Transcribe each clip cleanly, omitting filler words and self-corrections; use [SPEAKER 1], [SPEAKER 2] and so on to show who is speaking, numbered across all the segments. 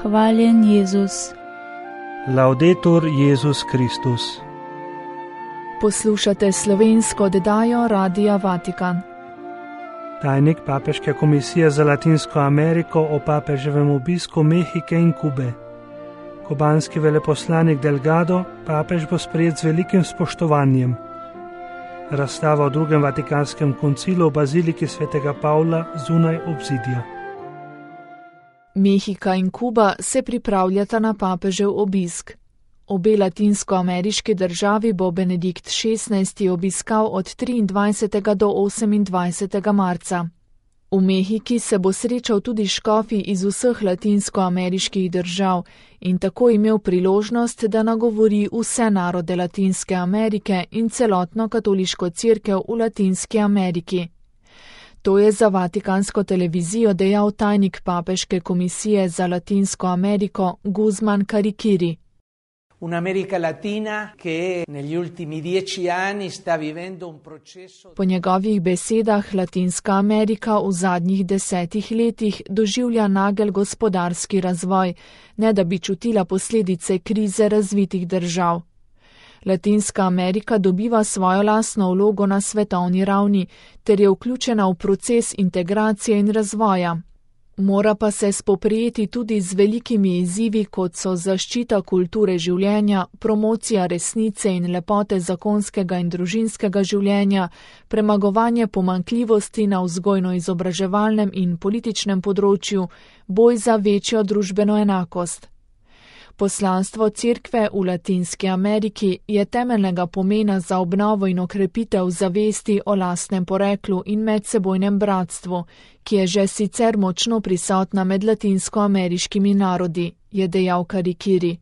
[SPEAKER 1] Hvaljen Jezus.
[SPEAKER 2] Laudetur Jezus Kristus.
[SPEAKER 3] Poslušate slovensko oddajo Radia Vatikan.
[SPEAKER 2] Tajnik Papeške komisije za Latinsko Ameriko o papeževem obisku Mehike in Kube. Kubanski veleposlanik Delgado papež bo sprejet z velikim spoštovanjem. Razstava o drugem Vatikanskem koncilu v baziliki svetega Pavla zunaj obzidja.
[SPEAKER 3] Mehika in Kuba se pripravljata na papežev obisk. Obe latinskoameriški državi bo Benedikt XVI obiskal od 23. do 28. marca. V Mehiki se bo srečal tudi škofi iz vseh latinskoameriških držav in tako imel priložnost, da nagovori vse narode Latinske Amerike in celotno katoliško cerkev v Latinski Ameriki. To je za Vatikansko televizijo dejal tajnik Papeške komisije za Latinsko Ameriko Guzman Carikiri. Po njegovih besedah Latinska Amerika v zadnjih 10 letih doživlja nagel gospodarski razvoj, ne da bi čutila posledice krize razvitih držav. Latinska Amerika dobiva svojo lastno vlogo na svetovni ravni ter je vključena v proces integracije in razvoja. Mora pa se spoprijeti tudi z velikimi izzivi, kot so zaščita kulture življenja, promocija resnice in lepote zakonskega in družinskega življenja, premagovanje pomanjkljivosti na vzgojno-izobraževalnem in političnem področju, boj za večjo družbeno enakost. Poslanstvo cerkve v Latinski Ameriki je temeljnega pomena za obnovo in okrepitev zavesti o lastnem poreklu in medsebojnem bratstvu, ki je že sicer močno prisotna med latinskoameriškimi narodi, je dejal Carikiri.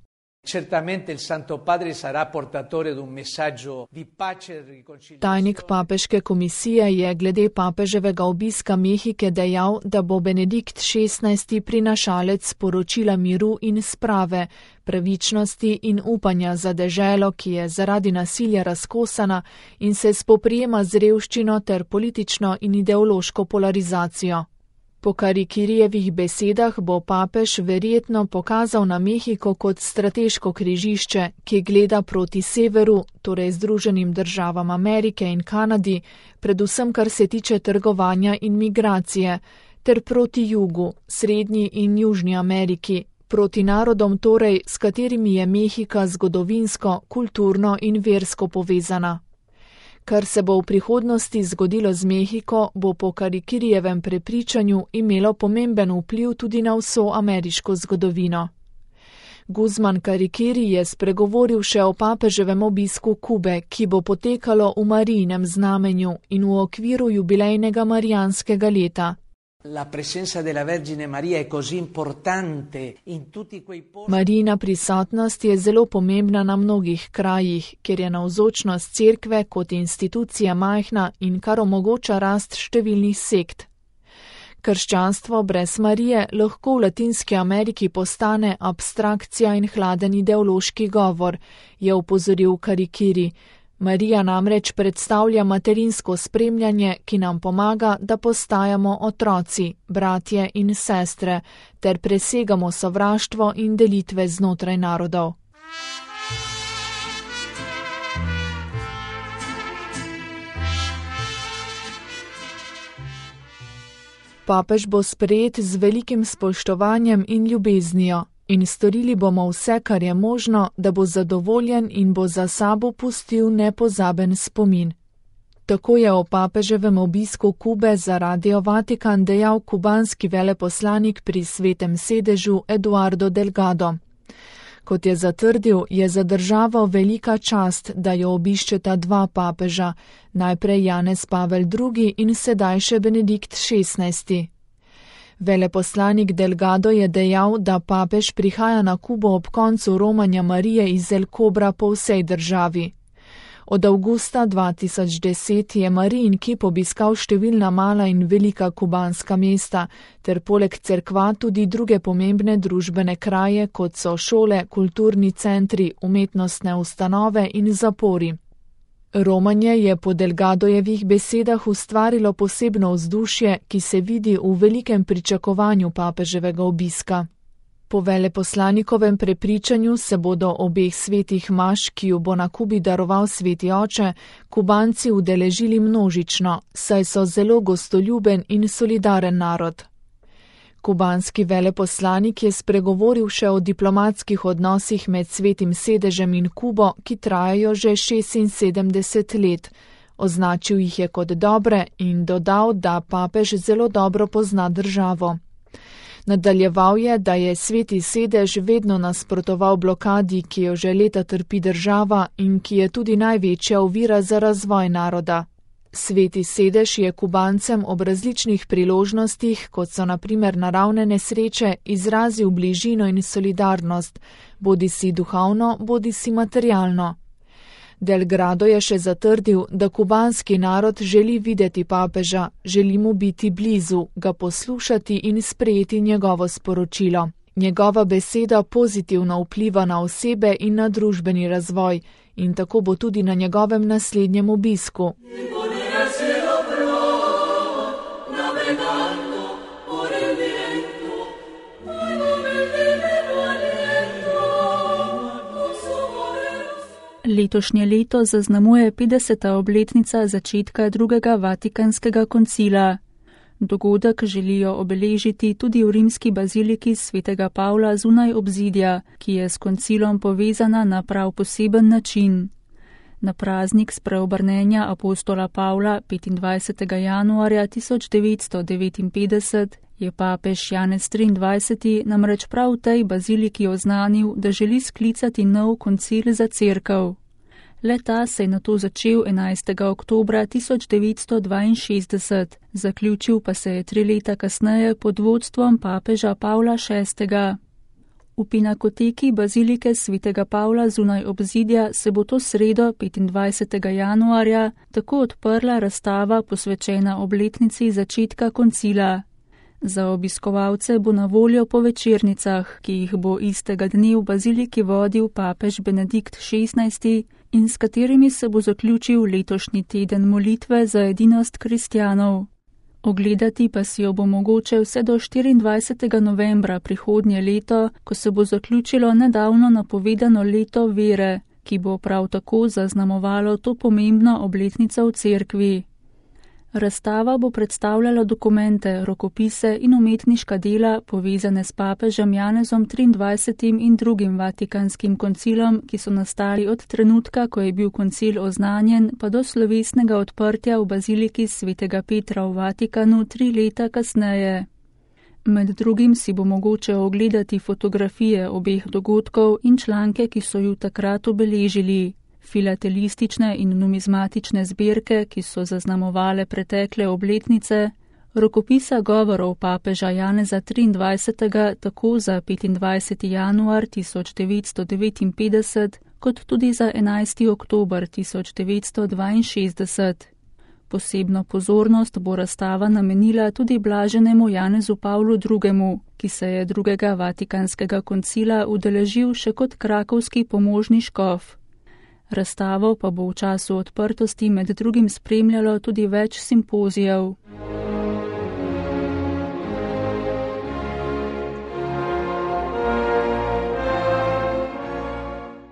[SPEAKER 3] Tajnik Papeške komisije je glede papeževega obiska Mehike dejal, da bo Benedikt XVI prinašalec sporočila miru in sprave, pravičnosti in upanja za deželo, ki je zaradi nasilja razkosana in se spoprijema z revščino ter politično in ideološko polarizacijo. Po Carikirijevih besedah bo papež verjetno pokazal na Mehiko kot strateško križišče, ki gleda proti severu, torej Združenim državam Amerike in Kanadi, predvsem kar se tiče trgovanja in migracije, ter proti jugu, Srednji in Južni Ameriki, proti narodom torej, s katerimi je Mehika zgodovinsko, kulturno in versko povezana. Kar se bo v prihodnosti zgodilo z Mehiko, bo po Carikirijevem prepričanju imelo pomemben vpliv tudi na vso ameriško zgodovino. Guzman Carikiri je spregovoril še o papeževem obisku Kube, ki bo potekalo v Marijinem znamenju in v okviru jubilejnega marijanskega leta. Marijina prisotnost je zelo pomembna na mnogih krajih, kjer je navzočnost cerkve kot institucija majhna in kar omogoča rast številnih sekt. Krščanstvo brez Marije lahko v Latinski Ameriki postane abstrakcija in hladen ideološki govor, je opozoril Carikiri. Marija namreč predstavlja materinsko spremljanje, ki nam pomaga, da postajamo otroci, bratje in sestre, ter presegamo sovraštvo in delitve znotraj narodov. Papež bo sprejet z velikim spoštovanjem in ljubeznijo. In storili bomo vse, kar je možno, da bo zadovoljen in bo za sabo pustil nepozaben spomin. Tako je o papeževem obisku Kube za Radio Vatikan dejal kubanski veleposlanik pri Svetem sedežu Eduardo Delgado. Kot je zatrdil, je za državo velika čast, da jo obiščeta dva papeža, najprej Janez Pavel II in sedaj še Benedikt XVI. Veleposlanik Delgado je dejal, da papež prihaja na Kubo ob koncu romanja Marije iz El Kobra po vsej državi. Od avgusta 2010 je Marijin kip obiskal številna mala in velika kubanska mesta, ter poleg cerkva tudi druge pomembne družbene kraje, kot so šole, kulturni centri, umetnostne ustanove in zapori. Romanje je po Delgadojevih besedah ustvarilo posebno vzdušje, ki se vidi v velikem pričakovanju papeževega obiska. Po veleposlanikovem prepričanju se bodo obeh svetih maš, ki ju bo na Kubi daroval sveti oče, Kubanci udeležili množično, saj so zelo gostoljuben in solidaren narod. Kubanski veleposlanik je spregovoril še o diplomatskih odnosih med Svetim sedežem in Kubo, ki trajajo že 76 let. Označil jih je kot dobre in dodal, da papež zelo dobro pozna državo. Nadaljeval je, da je Sveti sedež vedno nasprotoval blokadi, ki jo že leta trpi država in ki je tudi največja ovira za razvoj naroda. Sveti sedež je Kubancem ob različnih priložnostih, kot so na primer naravne nesreče, izrazil bližino in solidarnost, bodisi duhovno, bodisi materialno. Delgado je še zatrdil, da kubanski narod želi videti papeža, želi mu biti blizu, ga poslušati in sprejeti njegovo sporočilo. Njegova beseda pozitivno vpliva na osebe in na družbeni razvoj in tako bo tudi na njegovem naslednjem obisku.
[SPEAKER 1] Letošnje leto zaznamuje 50. obletnica začetka drugega Vatikanskega koncila. Dogodek želijo obeležiti tudi v rimski baziliki svetega Pavla zunaj obzidja, ki je s koncilom povezana na prav poseben način. Na praznik spreobrnenja apostola Pavla 25. januarja 1959 je papež Janez XXIII namreč prav v tej baziliki oznanil, da želi sklicati nov koncil za cerkev. Le-ta se je nato začel 11. oktobra 1962, zaključil pa se je 3 leta kasneje pod vodstvom papeža Pavla VI. V Pinakoteki bazilike svetega Pavla zunaj obzidja se bo to sredo 25. januarja tako odprla razstava posvečena obletnici začetka koncila. Za obiskovalce bo na voljo po večernicah, ki jih bo istega dne v baziliki vodil papež Benedikt XVI in s katerimi se bo zaključil letošnji teden molitve za edinost kristjanov. Ogledati pa si jo bo mogoče vse do 24. novembra prihodnje leto, ko se bo zaključilo nedavno napovedano leto vere, ki bo prav tako zaznamovalo to pomembno obletnico v cerkvi. Razstava bo predstavljala dokumente, rokopise in umetniška dela povezane s papežem Janezom XXIII in drugim Vatikanskim koncilom, ki so nastali od trenutka, ko je bil koncil oznanjen, pa do slovesnega odprtja v baziliki svetega Petra v Vatikanu 3 leta kasneje. Med drugim si bo mogoče ogledati fotografije obeh dogodkov in članke, ki so ju takrat obeležili. Filatelistične in numizmatične zbirke, ki so zaznamovale pretekle obletnice, rokopisa govorov papeža Janeza XXIII tako za 25. januar 1959, kot tudi za 11. oktober 1962. Posebno pozornost bo razstava namenila tudi blaženemu Janezu Pavlu II., ki se je drugega Vatikanskega koncila udeležil še kot krakovski pomožni škof. Razstavo pa bo v času odprtosti med drugim spremljalo tudi več simpozijev.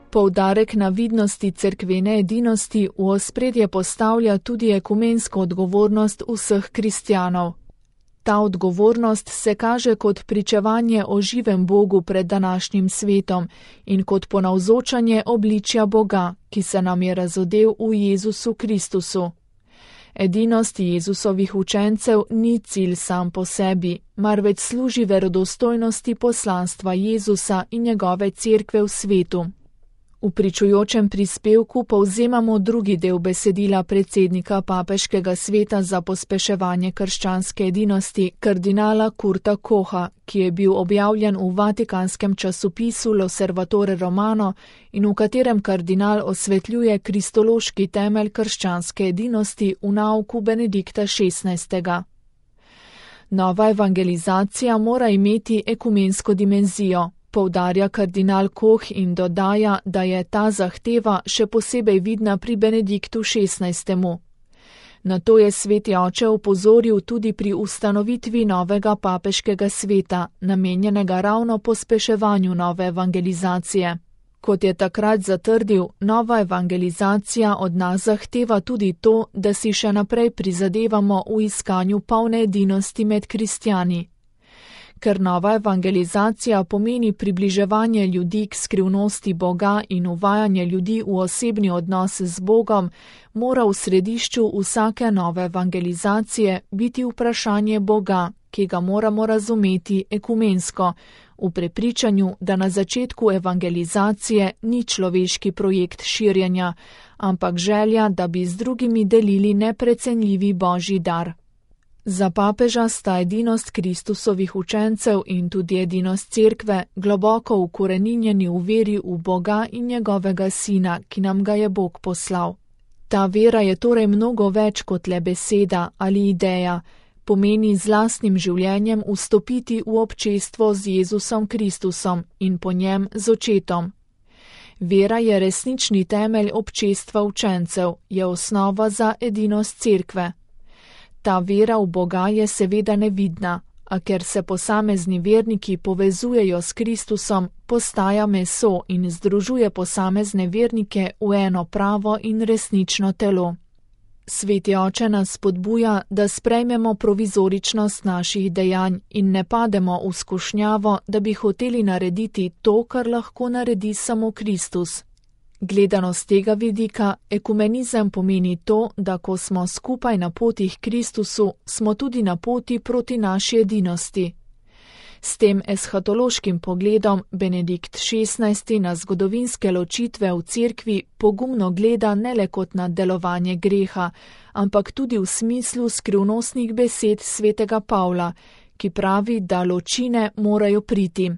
[SPEAKER 3] Poudarek na vidnosti cerkvene edinosti v ospredje postavlja tudi ekumensko odgovornost vseh kristjanov. Ta odgovornost se kaže kot pričevanje o živem Bogu pred današnjim svetom in kot ponavzočanje obličja Boga, ki se nam je razodel v Jezusu Kristusu. Edinost Jezusovih učencev ni cilj sam po sebi, marveč služi verodostojnosti poslanstva Jezusa in njegove cerkve v svetu. V pričujočem prispevku povzemamo drugi del besedila predsednika Papeškega sveta za pospeševanje krščanske edinosti, kardinala Kurta Koha, ki je bil objavljen v vatikanskem časopisu L'Osservatore Romano in v katerem kardinal osvetljuje kristološki temelj krščanske edinosti v nauku Benedikta XVI. Nova evangelizacija mora imeti ekumensko dimenzijo, poudarja kardinal Koh in dodaja, da je ta zahteva še posebej vidna pri Benediktu XVI. Na to je sveti oče opozoril tudi pri ustanovitvi novega papeškega sveta, namenjenega ravno pospeševanju nove evangelizacije. Kot je takrat zatrdil, nova evangelizacija od nas zahteva tudi to, da si še naprej prizadevamo v iskanju polne edinosti med kristjani. Ker nova evangelizacija pomeni približevanje ljudi k skrivnosti Boga in uvajanje ljudi v osebni odnos z Bogom, mora v središču vsake nove evangelizacije biti vprašanje Boga, ki ga moramo razumeti ekumensko, v prepričanju, da na začetku evangelizacije ni človeški projekt širjenja, ampak želja, da bi z drugimi delili neprecenljivi Božji dar. Za papeža sta edinost Kristusovih učencev in tudi edinost cerkve globoko ukoreninjeni v veri v Boga in njegovega Sina, ki nam ga je Bog poslal. Ta vera je torej mnogo več kot le beseda ali ideja, pomeni z lastnim življenjem vstopiti v občestvo z Jezusom Kristusom in po njem z očetom. Vera je resnični temelj občestva učencev, je osnova za edinost cerkve. Ta vera v Boga je seveda nevidna, a ker se posamezni verniki povezujejo s Kristusom, postaja meso in združuje posamezne vernike v eno pravo in resnično telo. Sveti oče nas spodbuja, da sprejmemo provizoričnost naših dejanj in ne pademo v skušnjavo, da bi hoteli narediti to, kar lahko naredi samo Kristus. Gledano z tega vidika, ekumenizem pomeni to, da ko smo skupaj na poti k Kristusu, smo tudi na poti proti naši edinosti. S tem eshatološkim pogledom Benedikt XVI na zgodovinske ločitve v cerkvi pogumno gleda ne le kot na delovanje greha, ampak tudi v smislu skrivnostnih besed svetega Pavla, ki pravi, da ločine morajo priti.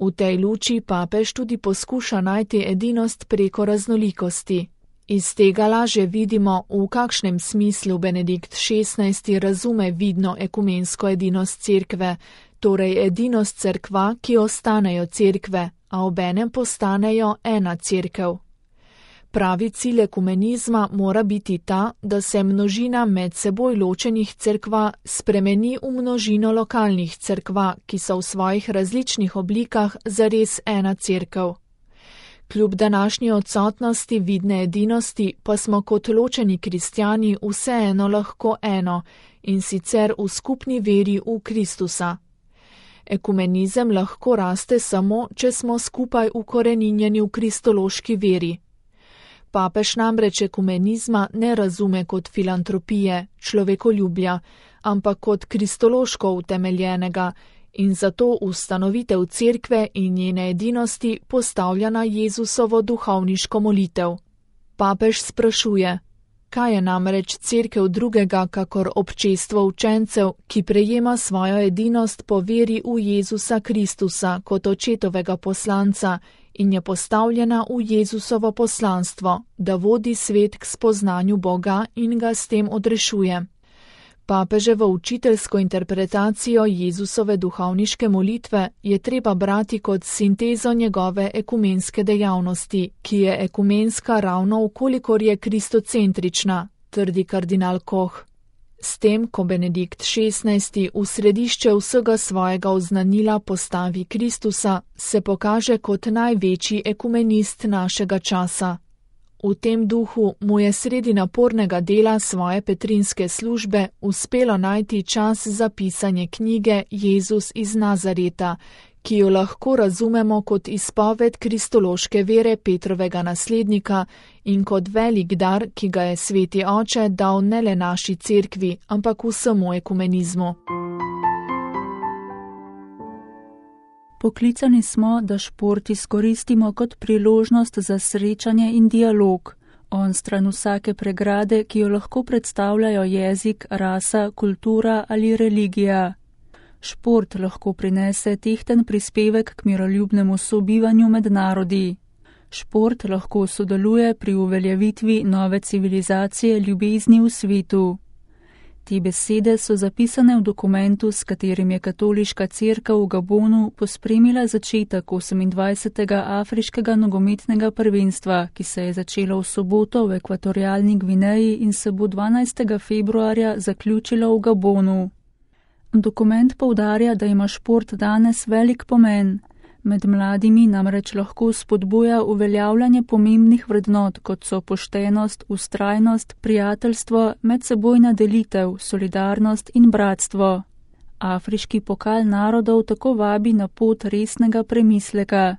[SPEAKER 3] V tej luči papež tudi poskuša najti edinost preko raznolikosti. Iz tega laže vidimo, v kakšnem smislu Benedikt XVI razume vidno ekumensko edinost cerkve, torej edinost cerkva, ki ostanejo cerkve, a obenem postanejo ena cerkev. Pravi cilj ekumenizma mora biti ta, da se množina med seboj ločenih cerkva spremeni v množino lokalnih cerkva, ki so v svojih različnih oblikah zares ena cerkev. Kljub današnji odsotnosti vidne edinosti pa smo kot ločeni kristjani vseeno lahko eno, in sicer v skupni veri v Kristusa. Ekumenizem lahko raste samo, če smo skupaj ukoreninjeni v kristološki veri. Papež namreč ekumenizma ne razume kot filantropije, človekoljubja, ampak kot kristološko utemeljenega in zato ustanovitev cerkve in njene edinosti postavlja na Jezusovo duhovniško molitev. Papež sprašuje, kaj je namreč cerkev drugega kakor občestvo učencev, ki prejema svojo edinost po veri v Jezusa Kristusa kot očetovega poslanca in je postavljena v Jezusovo poslanstvo, da vodi svet k spoznanju Boga in ga s tem odrešuje. Papeževo učiteljsko interpretacijo Jezusove duhovniške molitve je treba brati kot sintezo njegove ekumenske dejavnosti, ki je ekumenska ravno vkolikor je kristocentrična, trdi kardinal Koh. S tem, ko Benedikt XVI v središče vsega svojega oznanila postavi Kristusa, se pokaže kot največji ekumenist našega časa. V tem duhu mu je sredi napornega dela svoje petrinske službe uspelo najti čas za pisanje knjige Jezus iz Nazareta, ki jo lahko razumemo kot izpoved kristološke vere Petrovega naslednika in kot velik dar, ki ga je sveti oče dal ne le naši cerkvi, ampak vsemu ekumenizmu.
[SPEAKER 1] Poklicani smo, da šport izkoristimo kot priložnost za srečanje in dialog, onstran vsake pregrade, ki jo lahko predstavljajo jezik, rasa, kultura ali religija. Šport lahko prinese tehten prispevek k miroljubnemu sobivanju med narodi. Šport lahko sodeluje pri uveljavitvi nove civilizacije ljubezni v svetu. Te besede so zapisane v dokumentu, s katerim je katoliška cerkev v Gabonu pospremila začetek 28. afriškega nogometnega prvenstva, ki se je začelo v soboto v Ekvatorialni Gvineji in se bo 12. februarja zaključilo v Gabonu. Dokument poudarja, da ima šport danes velik pomen. Med mladimi namreč lahko spodbuja uveljavljanje pomembnih vrednot, kot so poštenost, vztrajnost, prijateljstvo, medsebojna delitev, solidarnost in bratstvo. Afriški pokal narodov tako vabi na pot resnega premisleka.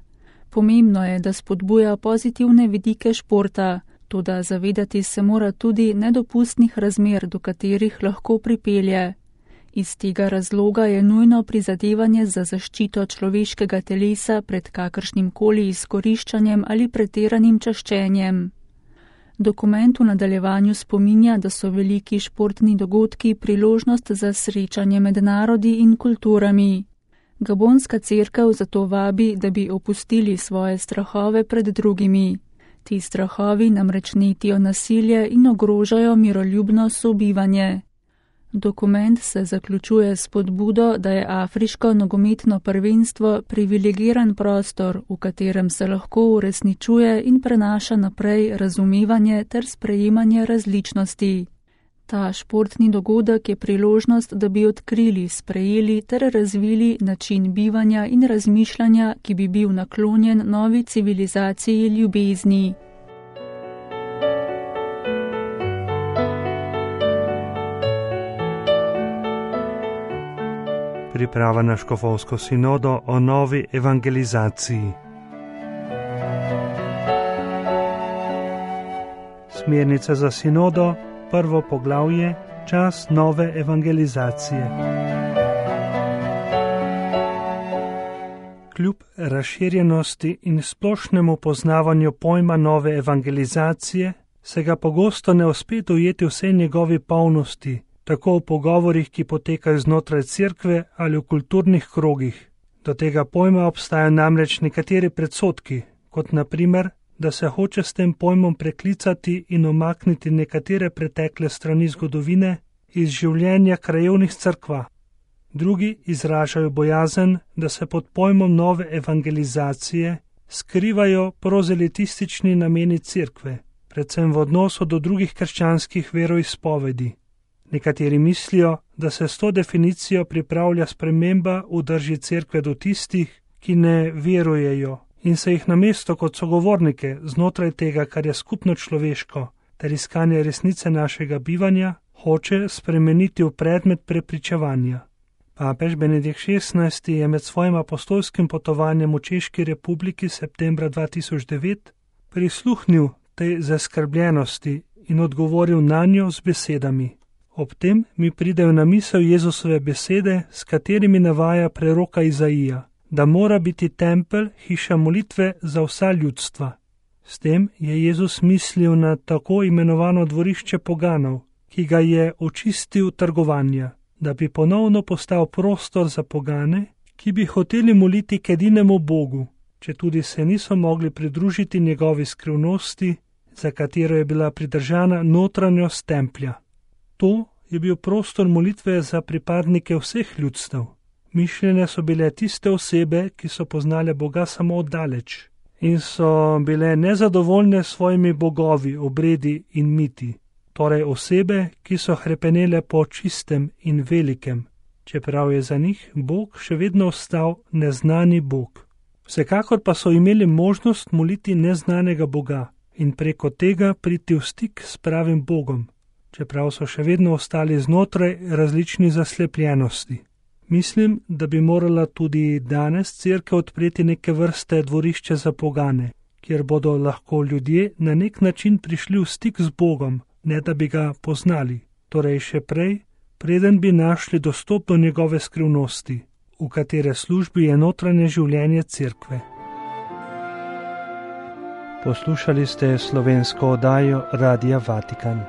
[SPEAKER 1] Pomembno je, da spodbuja pozitivne vidike športa, toda zavedati se mora tudi nedopustnih razmer, do katerih lahko pripelje. Iz tega razloga je nujno prizadevanje za zaščito človeškega telesa pred kakršnim koli izkoriščanjem ali pretiranim čaščenjem. Dokument v nadaljevanju spominja, da so veliki športni dogodki priložnost za srečanje med narodi in kulturami. Gabonska cerkev zato vabi, da bi opustili svoje strahove pred drugimi. Ti strahovi namreč netijo nasilje in ogrožajo miroljubno sobivanje. Dokument se zaključuje s spodbudo, da je afriško nogometno prvenstvo privilegiran prostor, v katerem se lahko uresničuje in prenaša naprej razumevanje ter sprejemanje različnosti. Ta športni dogodek je priložnost, da bi odkrili, sprejeli ter razvili način bivanja in razmišljanja, ki bi bil naklonjen novi civilizaciji ljubezni.
[SPEAKER 2] Priprava na škofovsko sinodo o novi evangelizaciji. Smernice za sinodo, prvo poglavje, čas nove evangelizacije. Kljub razširjenosti in splošnemu poznavanju pojma nove evangelizacije, se ga pogosto ne uspe dojeti vse njegovi polnosti, tako v pogovorih, ki potekajo znotraj cerkve ali v kulturnih krogih. Do tega pojma obstajajo namreč nekateri predsodki, kot na primer, da se hoče s tem pojmom preklicati in omakniti nekatere pretekle strani zgodovine iz življenja krajevnih cerkva. Drugi izražajo bojazen, da se pod pojmom nove evangelizacije skrivajo prozelitistični nameni cerkve, predvsem v odnosu do drugih krščanskih veroizpovedi. Nekateri mislijo, da se s to definicijo pripravlja sprememba v drži cerkve do tistih, ki ne verujejo in se jih namesto kot sogovornike znotraj tega, kar je skupno človeško, ter iskanje resnice našega bivanja, hoče spremeniti v predmet prepričevanja. Papež Benedikt XVI je med svojim apostolskim potovanjem v Češki republiki septembra 2009 prisluhnil tej zaskrbljenosti in odgovoril nanjo z besedami. Ob tem mi pridejo na misel Jezusove besede, s katerimi navaja preroka Izaija, da mora biti tempelj hiša molitve za vsa ljudstva. S tem je Jezus mislil na tako imenovano dvorišče poganov, ki ga je očistil trgovanja, da bi ponovno postal prostor za pogane, ki bi hoteli moliti k edinemu Bogu, četudi se niso mogli pridružiti njegovi skrivnosti, za katero je bila pridržana notranjost templja. To je bil prostor molitve za pripadnike vseh ljudstev. Mišljene so bile tiste osebe, ki so poznale Boga samo oddaleč in so bile nezadovoljne s svojimi bogovi, obredi in miti. Torej osebe, ki so hrepenele po čistem in velikem, čeprav je za njih Bog še vedno ostal neznani Bog. Vsekakor pa so imeli možnost moliti neznanega Boga in preko tega priti v stik s pravim Bogom, čeprav so še vedno ostali znotraj različnih zaslepljenosti. Mislim, da bi morala tudi danes cerkev odpreti neke vrste dvorišče za pogane, kjer bodo lahko ljudje na nek način prišli v stik z Bogom, ne da bi ga poznali, torej še prej, preden bi našli dostop do njegove skrivnosti, v katere službi je notranje življenje cerkve. Poslušali ste slovensko oddajo Radia Vatikan.